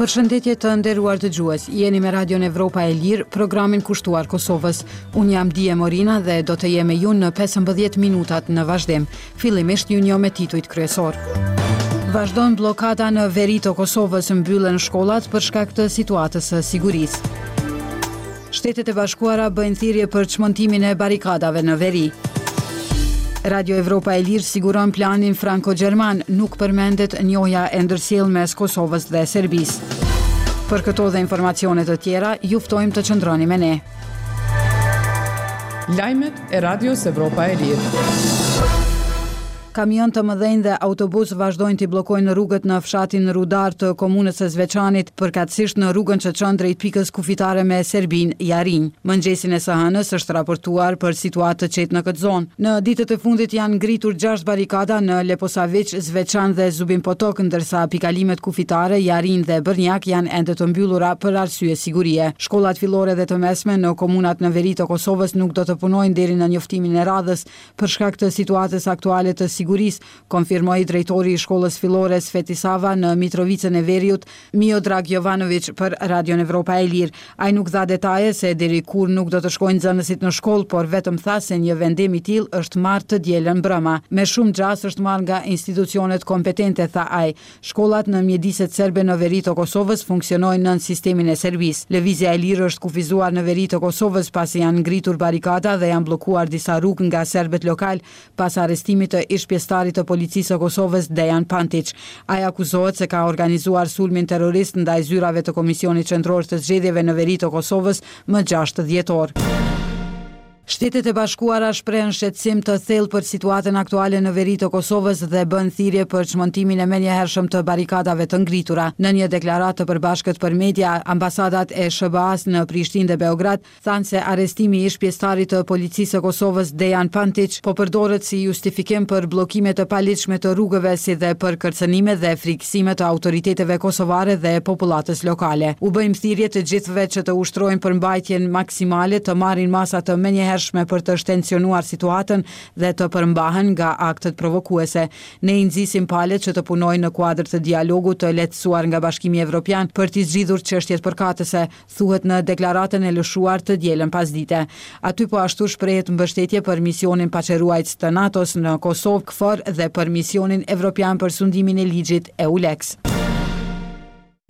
Përshëndetje të nderuar dëgjues, jeni me Radion Evropa e Lirë, programin kushtuar Kosovës. Unë jam Dije Morina dhe do të jem me ju në 15 minutat në vazhdim. Fillimisht ju njoh me titujt kryesorë. Vazhdon bllokada në veri të Kosovës, mbyllen shkollat për shkak të situatës së sigurisë. Shtetet e Bashkuara bëjnë thirrje për çmontimin e barrikadave në veri. Radio Evropa e Lirë siguron planin franko-gjerman, nuk përmendet njohja e ndërsjellë mes Kosovës dhe Serbisë. Për këto dhe informacione të tjera, ju ftojmë të qëndroni me ne. Lajmet e Radios Evropa e Lirë. Kamionë të mëdhenj dhe autobusë vazhdojnë t'i bllokojnë rrugët në fshatin Rudar të komunës së Zveçanit, përkatësisht në rrugën që çon drejt pikës kufitare me Serbinë, Jarinjë. Mëngjesin e së hënës është raportuar për situatë të qetë në këtë zonë. Në ditët e fundit janë ngritur gjashtë barrikada në Leposaviq, Zveçan dhe Zubin Potok, ndërsa pikalimet kufitare Jarinjë dhe Bërnjak janë ende të mbyllura për arsye sigurie. Shkollat fillore dhe të mesme në komunat në veri të Kosovës nuk do të punojnë deri në njoftimin e radhës, Për shkak të situatës aktuale të sigurisë, konfirmoi drejtori i shkollës fillore Sveti Sava në Mitrovicën e Veriut, Miodrag Jovanoviq për Radion Evropa e Lirë. Ai nuk dha detaje se deri kur nuk do të shkojnë nxënësit në shkollë, por vetëm tha se një vendim i tillë është marrë të dielën mbrëma. Me shumë gjasë është marrë nga institucionet kompetente, tha ai. Shkollat në mjediset serbe në veri të Kosovës funksionojnë nën sistemin e Serbisë. Lëvizja e lirë është kufizuar në veri të Kosovës pasi janë ngritur barrikada dhe janë bllokuar disa rrugë nga serbët lokalë pas arrestimit të ish-pjesëtarit të Policisë së Kosovës, Dejan Pantiq. Ai akuzohet se ka organizuar sulmin terrorist ndaj zyrave të Komisionit Qendror të Zgjedhjeve në veri të Kosovës më gjashtë dhjetor. Shtetet e Bashkuara shprehën shqetësim të thellë për situatën aktuale në veri të Kosovës dhe bënë thirrje për çmontimin e menjëhershëm të barrikadave të ngritura. Në një deklaratë të përbashkët për media, ambasadat e SHBA-së në Prishtinë dhe Beograd thanë se arrestimi i ish-pjesëtarit të Policisë së Kosovës, Dejan Pantiq, po përdoret si justifikim për bllokime të paligjshme të rrugëve si dhe për kërcënime dhe frikësime të autoriteteve kosovare dhe popullatës lokale. U bëjmë thirrje të gjithëve që të ushtrojnë përmbajtjen maksimale, të marrin masa të menjëhershme për të shtensionuar situatën dhe të përmbahen nga aktet provokuese. Ne i nxisim palët që të punojnë në kuadër të dialogut të lehtësuar nga Bashkimi Evropian për t'i zgjidhur çështjet përkatëse, thuhet në deklaratën e lëshuar të dielën pasdite. Aty po ashtu shprehet mbështetje për misionin paqeruajtës të NATO-s në Kosovë, KFOR dhe për misionin evropian për sundimin e ligjit, EULEX.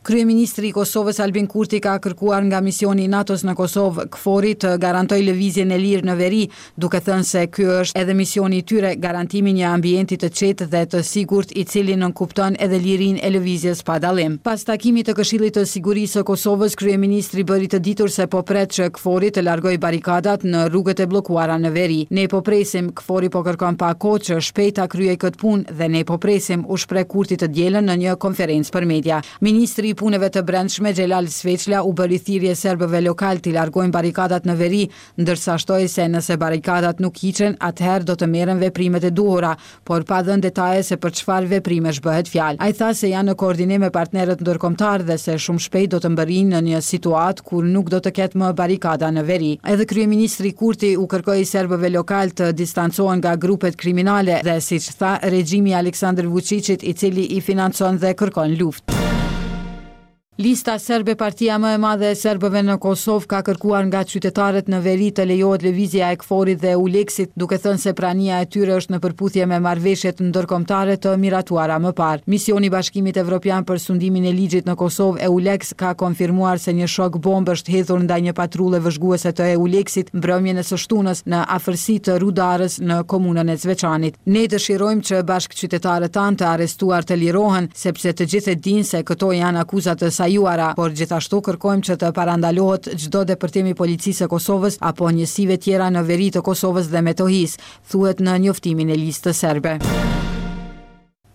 Kryeministri i Kosovës Albin Kurti ka kërkuar nga misioni i NATO-s në Kosovë, KFOR-i, të garantojë lëvizjen e lirë në veri, duke thënë se ky është edhe misioni i tyre, garantimi i një ambienti të qetë dhe të sigurt i cili nënkupton edhe lirinë e lëvizjes pa dallim. Pas takimit të Këshillit të Sigurisë së Kosovës, kryeministri bëri të ditur se po pret që KFOR-i të largojë barrikadat në rrugët e bllokuara në veri. Ne po presim, KFOR-i po kërkon pak kohë që shpejt ta kryejë këtë punë dhe ne po presim, u shpreh Kurti të dielën në një konferencë për media. Ministri i Punëve të Brendshme, Xhelal Sveçla u bëri thirrje serbëve lokalë t'i largojnë barrikadat në veri, ndërsa shtoi se nëse barrikadat nuk hiqen, atëherë do të merren veprimet e duhura, por pa dhënë detaje se për çfarë veprimesh bëhet fjalë. Ai tha se janë në koordinim me partnerët ndërkombëtarë dhe se shumë shpejt do të mbërrijnë në një situatë kur nuk do të ketë më barrikada në veri. Edhe kryeministri Kurti u kërkoi serbëve lokalë të distancohen nga grupet kriminale dhe, siç tha, regjimi i Aleksandër Vuçiqit i cili i financon dhe kërkon luftë. Lista Serbe partia më e madhe e serbëve në Kosovë ka kërkuar nga qytetarët në veri të lejohet lëvizja e KFOR-it dhe EULEX-it, duke thënë se prania e tyre është në përputhje me marrëveshjet ndërkombëtare të miratuara më parë. Misioni i Bashkimit Evropian për Sundimin e Ligjit në Kosovë, EULEX, ka konfirmuar se një shok bombë është hedhur ndaj një patrulle vëzhguese të EULEX-it mbrëmjen e së shtunës në afërsi të Rudarës në komunën e Zveçanit. Ne dëshirojmë që bashkëqytetarët tanë të arrestuar të lirohen, sepse të gjithë e dinë se këto janë akuza të sajuara, por gjithashtu kërkojmë që të parandalohet çdo depërtim i Policisë së Kosovës apo njësive tjera në veri të Kosovës dhe Metohisë, thuhet në njoftimin e Listës Serbe.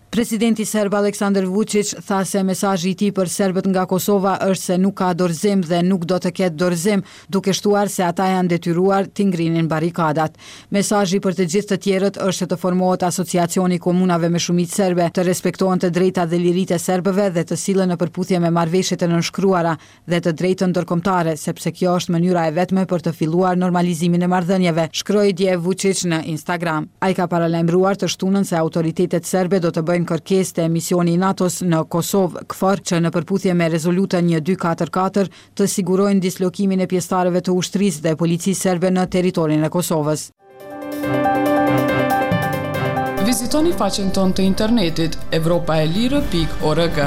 Presidenti serb Aleksandër Vuçiq tha se mesazhi i tij për serbët nga Kosova është se nuk ka dorëzim dhe nuk do të ketë dorëzim, duke shtuar se ata janë detyruar t'i ngrinin barrikadat. Mesazhi për të gjithë të tjerët është që të formohet Asociacioni i Komunave me shumicë serbe, të respektohen të drejtat dhe liritë e serbëve dhe të sillen në përputhje me marrëveshjet e nënshkruara dhe të drejtën ndërkombëtare, sepse kjo është mënyra e vetme për të filluar normalizimin e marrëdhënieve, shkroi dje Vuçiq në Instagram. Ai ka paralajmëruar të shtunën se autoritetet serbe do të bëjnë. bëjnë kërkesë te misioni i NATO-s në Kosovë, KFOR, që në përputhje me Rezolutën 1244 të sigurojnë dislokimin e pjesëtarëve të ushtrisë dhe policisë serbe në territorin e Kosovës. Vizitoni faqen tonë të internetit evropaelire.org.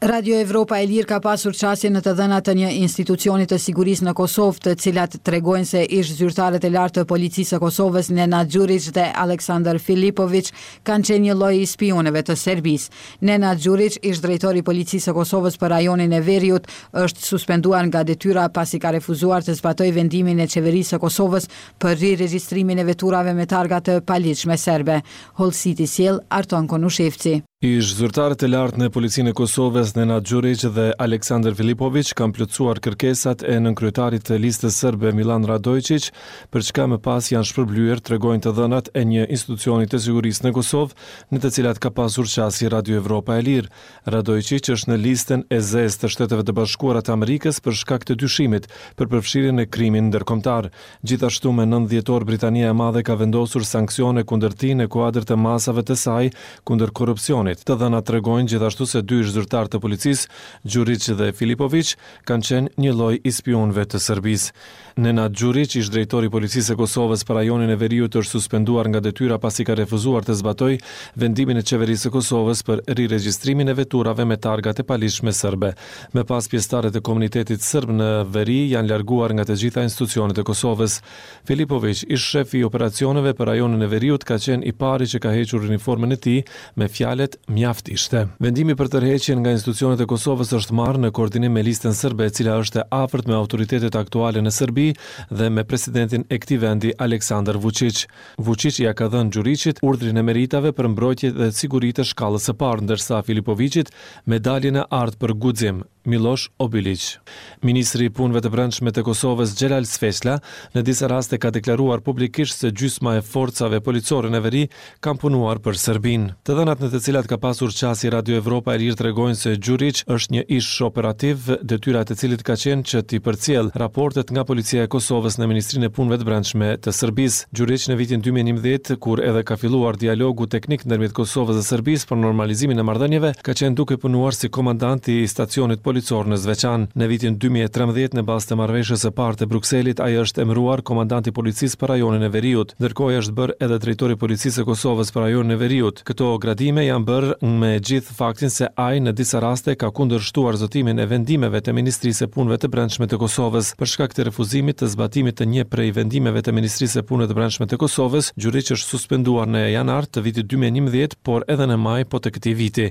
Radio Evropa e Lirë ka pasur qasje në të dhëna të një institucioni të sigurisë në Kosovë, të cilat tregojnë se ish-zyrtarët e lartë të Policisë së Kosovës, Nenad Gjuriq dhe Aleksandar Filipoviq, kanë qenë një lloj i spiunëve të Serbisë. Nenad Gjuriq, ish-drejtor i Policisë së Kosovës për rajonin e Veriut, është suspenduar nga detyra pasi ka refuzuar të zbatojë vendimin e Qeverisë së Kosovës për riregjistrimin e veturave me targa të paligjshme serbe. Hollësitë i sjell Arton Konushevci. Ish-zyrtarët e lartë në Policinë e Kosovës, Nenad Gjuriq dhe Aleksandar Filipoviq kanë plotësuar kërkesat e nënkryetarit të Listës Serbe, Millan Radoiçiq, për çka më pas janë shpërblyer, tregojnë të dhënat e një institucioni të sigurisë në Kosovë, në të cilat ka pasur qasje Radio Evropa e Lirë. Radoiçiq është në listën e zezë të Shteteve të Bashkuara të Amerikës për shkak të dyshimit për përfshirje në krimin ndërkombëtar. Gjithashtu me nëntë dhjetor Britania e Madhe ka vendosur sanksione kundër tij në kuadër të masave të saj kundër korrupsionit. Të dhënat tregojnë gjithashtu se dy ish-zyrtarë të policisë, Gjuriq dhe Filipoviq, kanë qenë një lloj i spiunëve të Serbisë. Nenad Gjuriq, ish-drejtor i Policisë së Kosovës për rajonin e Veriut është suspenduar nga detyra pasi ka refuzuar të zbatojë vendimin e Qeverisë së Kosovës për riregjistrimin e veturave me targa të paligjshme serbe. Më pas pjesëtarët e komunitetit sërb në veri janë larguar nga të gjitha institucionet e Kosovës. Filipoviq, ish-shefi i operacioneve për rajonin e veriut ka qenë i pari që ka hequr uniformën e tij me fjalët mjaft ishte. Vendimi për tërheqjen nga institucionet e Kosovës është marrë në koordinim me Listën Sërbe e cila është e afërt me autoritetet aktuale në Serbi dhe me presidentin e këtij vendi Aleksandar Vuçiq. Vuçiq ia ka dhënë Gjuriqit urdhrin e meritave për mbrojtje dhe siguri të shkallës së parë, ndërsa Filipoviqit Medaljen e artë për guxim, Millosh Obiliq. Ministri i Punëve të Brendshme të Kosovës, Xhelal Sveçla, në disa raste ka deklaruar publikisht se gjysma e forcave policore në veri kanë punuar për Serbinë. Të dhënat në të cilat ka pasur qasje Radio Evropa e Lirë tregojnë se Gjuriq është një ish-operativ, detyra e të cilit ka qenë që t'i përcjellë raportet nga Policia e Kosovës në Ministrinë e Punëve të Brendshme të Serbisë. Gjuriq në vitin 2011, kur edhe ka filluar dialogu teknik ndërmjet Kosovës dhe Serbisë për normalizimin e marrëdhënieve, ka qenë duke punuar si komandant i stacionit policor në Zveçan. Në vitin 2013, në bazë të marrëveshjes së parë të Brukselit, ai është emëruar komandant i policisë për rajonin e Veriut. Ndërkohë ai është bërë edhe drejtor i Policisë së Kosovës për rajonin e Veriut. Këto gradime janë bërë me gjithë faktin se ai në disa raste ka kundërshtuar zbatimin e vendimeve të Ministrisë së Punëve të Brendshme të Kosovës. Për shkak të refuzimit të zbatimit të një prej vendimeve të Ministrisë së Punëve të Brendshme të Kosovës, Gjuriq është suspenduar në janar të vitit 2011, por edhe në maj po të këtij viti.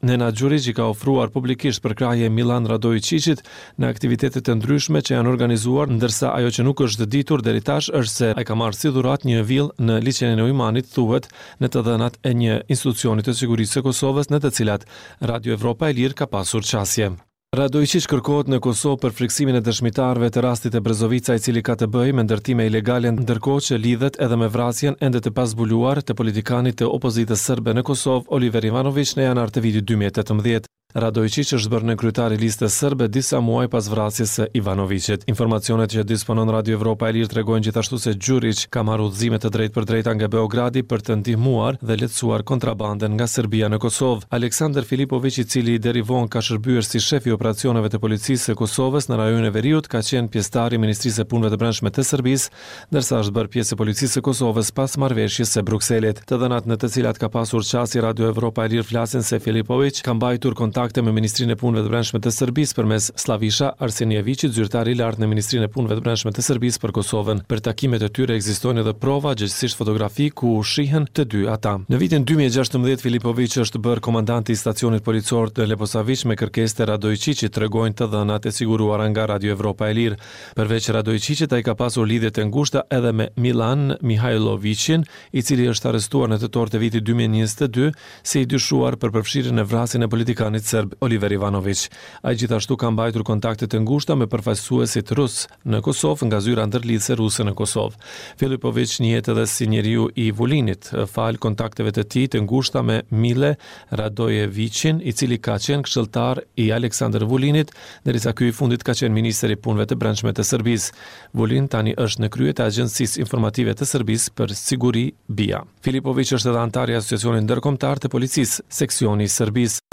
Nenad Gjuriq i ka ofruar publikisht përkrahje Millan Radoiçiqit në aktivitete të ndryshme që janë organizuar, ndërsa ajo që nuk është ditur deri tash është se ai ka marrë si dhuratë një vilë në liqenin e Ujmanit, thuhet në të dhënat e një institucioni të sigurisë së Kosovës në të cilat Radio Evropa e Lirë ka pasur qasje. Radoiçiq kërkohet në Kosovë për frikësimin e dëshmitarëve të rastit të Brezovica i cili ka të bëjë me ndërtime ilegale ndërkohë që lidhet edhe me vrasjen ende të pazbuluar të politikanit të opozitës serbe në Kosovë Oliver Ivanoviq në janar të vitit 2018. Radoiçiq është bërë nënkryetar i Listës Sërbe disa muaj pas vrasjes së Ivanoviqit. Informacionet që disponon Radio Evropa e Lirë tregojnë gjithashtu se Gjuriq ka marrë udhëzime të drejtpërdrejta nga Beogradi për të ndihmuar dhe lehtësuar kontrabandën nga Serbia në Kosovë. Aleksandar Filipoviq, i cili deri vonë ka shërbyer si shef i operacioneve të Policisë së Kosovës në rajonin e Veriut, ka qenë pjesëtar i Ministrisë së Punëve të Brendshme të Serbisë ndërsa është bërë pjesë e Policisë së Kosovës pas marrëveshjes së Brukselit. Të dhënat në të cilat ka pasur qasje Radio Evropa e Lirë flasin se Filipoviq ka mbajtur kontakte me Ministrinë e Punëve të Brendshme të Serbisë përmes Sllavisha Arsenijeviqit, zyrtar i lartë në Ministrinë e Punëve të Brendshme të Serbisë për Kosovën. Për takimet e tyre ekzistojnë edhe prova, gjegjësisht fotografi ku shihen të dy ata. Në vitin 2016 Filipoviq është bërë komandanti i stacionit policor të Leposaviq me kërkesë të Radoiçiqit, tregojnë të dhënat e siguruara nga Radio Evropa e Lirë. Përveç Radoiçiqit, ai ka pasur lidhje të ngushta edhe me Millan Mihajloviqin, i cili është arrestuar në tetor të vitit 2022 si i dyshuar për përfshirjen në vrasjen e politikanit. serb Oliver Ivanoviq. Ai gjithashtu ka mbajtur kontakte të ngushta me përfaqësuesit rusë në Kosovë nga zyra ndërlidhëse ruse në Kosovë. Filipoviq njihet edhe si njeriu i Vulinit, falë kontakteve të tij të ngushta me Mile Radojeviqin, i cili ka qenë këshilltar i Aleksandër Vulinit, derisa ky i fundit ka qenë ministër i Punëve të Brendshme të Serbisë. Vulin tani është në krye të Agjencisë Informative të Serbisë për Siguri, BIA. Filipoviq është edhe anëtar i Asociacionit Ndërkombëtar të Policisë, seksioni i Serbisë.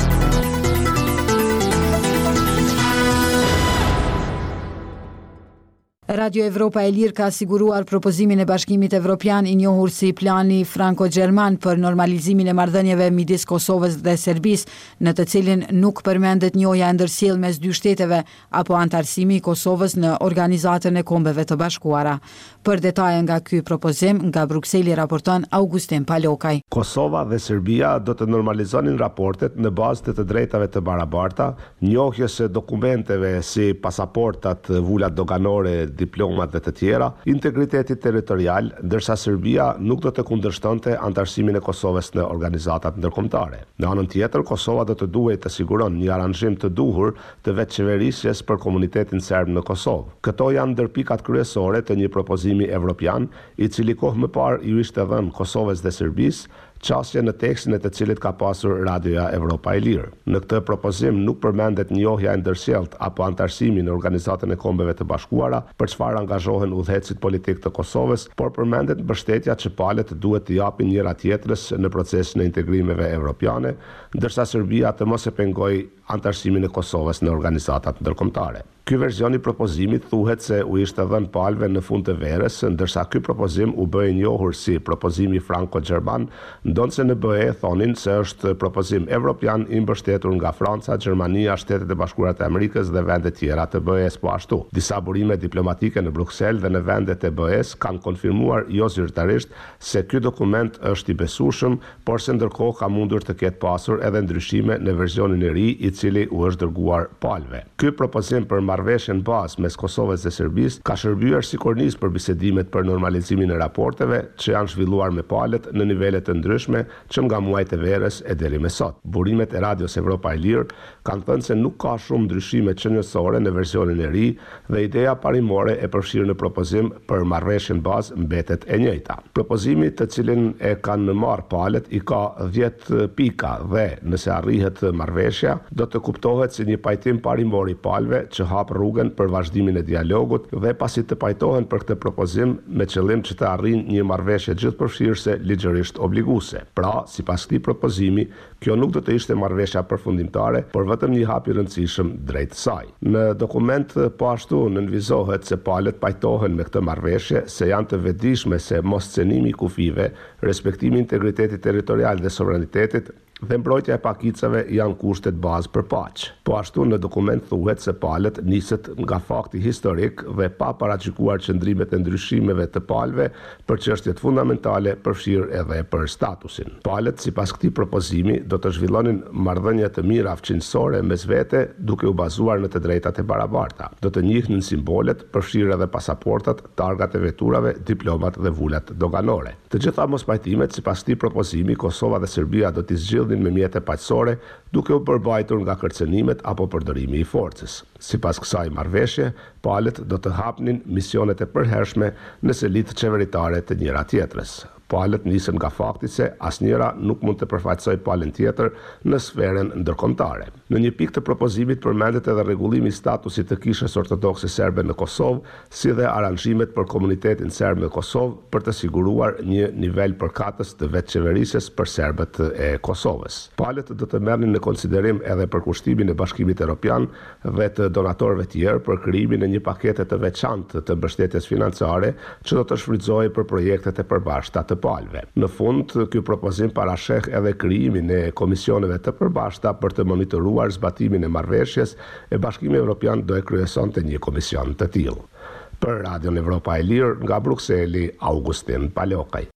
Radio Evropa e Lirë ka siguruar propozimin e Bashkimit Evropian i njohur si Plani Franko-Gjerman për normalizimin e marrëdhënieve midis Kosovës dhe Serbisë, në të cilin nuk përmendet njohja e ndërsjellë mes dy shteteve apo anëtarësimi i Kosovës në Organizatën e Kombeve të Bashkuara. Për detaje nga ky propozim, nga Brukseli raporton Augustin Palokaj. Kosova dhe Serbia do të normalizonin raportet në bazë të të drejtave të barabarta, njohjes së dokumenteve si pasaportat, vulat doganore, diplomat dhe të tjera, integritetit territorial, ndërsa Serbia nuk do të kundërshtonte anëtarësimin e Kosovës në organizatat ndërkombëtare. Në anën tjetër, Kosova do të duhej të siguron një aranzhim të duhur të vetëqeverisjes për komunitetin serb në Kosovë. Këto janë ndër pikat kryesore të një propozimi evropian, i cili kohë më parë iu ishte dhënë Kosovës dhe Serbisë, qasje në tekstin e të cilit ka pasur Radioja Evropa e Lirë. Në këtë propozim nuk përmendet njohja e ndërsjelltë apo anëtarësimi në Organizatën e Kombeve të Bashkuara, për çfarë angazhohen udhëheqësit politikë të Kosovës, por përmendet mbështetja që palët duhet t'i japin njëra-tjetrës në procesin e integrimeve evropiane, ndërsa Serbia të mos e pengojë anëtarësimin e Kosovës në organizatat ndërkombëtare. Ky version i propozimit thuhet se u ishte dhënë palëve në fund të verës, ndërsa ky propozim u bë i njohur si propozimi franko-gjerman, ndonëse në BE thonin se është propozim evropian i mbështetur nga Franca, Gjermania, Shtetet e Bashkuara të Amerikës dhe vende tjera të BE-së po ashtu. Disa burime diplomatike në Bruksel dhe në vendet e BE-së kanë konfirmuar jozyrtarisht se ky dokument është i besueshëm por se ndërkohë ka mundur të ketë pasur edhe ndryshime në versionin e ri i cili u është dërguar palëve. Ky propozim për marrëveshjen bazë mes Kosovës dhe Serbisë ka shërbyer si kornizë për bisedimet për normalizimin e raporteve që janë zhvilluar me palët në nivele të ndryshme që nga muajt e verës e deri me sot. Burimet e Radios Evropa e Lirë kanë thënë se nuk ka shumë ndryshime qenësore në versionin e ri dhe ideja parimore e përfshirë në propozim për marrëveshjen bazë mbetet e njëjta. Propozimi të cilin e kanë marrë palët i ka dhjetë pika dhe, nëse arrihet marrëveshja, do të kuptohet si një pajtim parimor i palëve që hap rrugën për vazhdimin e dialogut dhe pasi të pajtohen për këtë propozim me qëllim që të arrijnë një marrëveshje gjithëpërfshirëse ligjërisht obliguese. Pra, sipas këtij propozimi, Kjo nuk do të ishte marrëveshja përfundimtare, por vetëm një hap i rëndësishëm drejt saj. Në dokument po ashtu nënvizohet se palët pajtohen me këtë marrëveshje, se janë të vetëdijshme se moscenimi i kufijve, respektimi i integritetit territorial dhe sovranitetit, dhe mbrojtja e pakicave janë kushtet bazë për paqe. Po ashtu në dokument thuhet se palët niset nga fakti historik dhe pa paragjykuar qëndrimet e ndryshimeve të palëve për çështjet fundamentale, përfshirë edhe për statusin. Palët, sipas këtij propozimi, do të zhvillonin marrëdhënie të mira fqinjësore mes vete, duke u bazuar në të drejtat e barabarta. Do të njihnin simbolet, përfshirë edhe pasaportat, targat e veturave, diplomat dhe vulat doganore. Të gjitha mospajtimet, sipas këtij propozimi, Kosova dhe Serbia do t'i zgjidhnin me mjete paqësore, duke u përmbajtur nga kërcënimet apo përdorimi i forcës. Sipas kësaj marrëveshje, palët do të hapnin misionet e përhershme në selitë qeveritare të njëra-tjetrës. Palët nisen nga fakti se asnjëra nuk mund të përfaqësojë palën tjetër në sferën ndërkombëtare. Në një pikë të propozimit përmendet edhe rregullimi i statusit të Kishës Ortodokse Serbe në Kosovë, si dhe aranzhimet për komunitetin serb në Kosovë për të siguruar një nivel përkatës të vetëqeverisjes për serbët e Kosovës. Palët do të merrnin në konsiderim edhe përkushtimin e Bashkimit Europian dhe të donatorëve tjerë për krijimin e një pakete të veçantë të mbështetjes financiare që do të shfrytëzohej për projektet e përbashkëta të palëve. Në fund, ky propozim parasheh edhe krijimin e komisioneve të përbashkëta për të monitoruar zbatimin e marrëveshjes e Bashkimi Evropian do e kryesonte një komision të tillë. Për Radion Evropa e Lirë, nga Brukseli, Augustin Palokaj.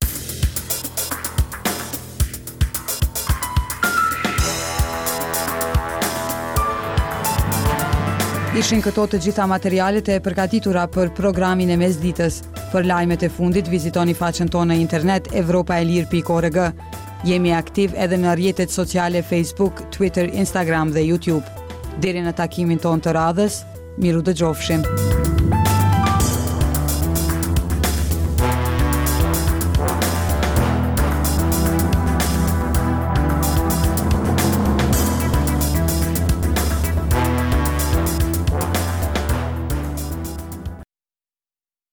Ishin këto të gjitha materialet e përgatitura për programin e mesditës. Për lajmet e fundit vizitoni faqen tonë në internet evropaelire.org. Jemi aktiv edhe në rrjetet sociale Facebook, Twitter, Instagram dhe YouTube. Deri në takimin tonë të radhës, mirudëgjofshim.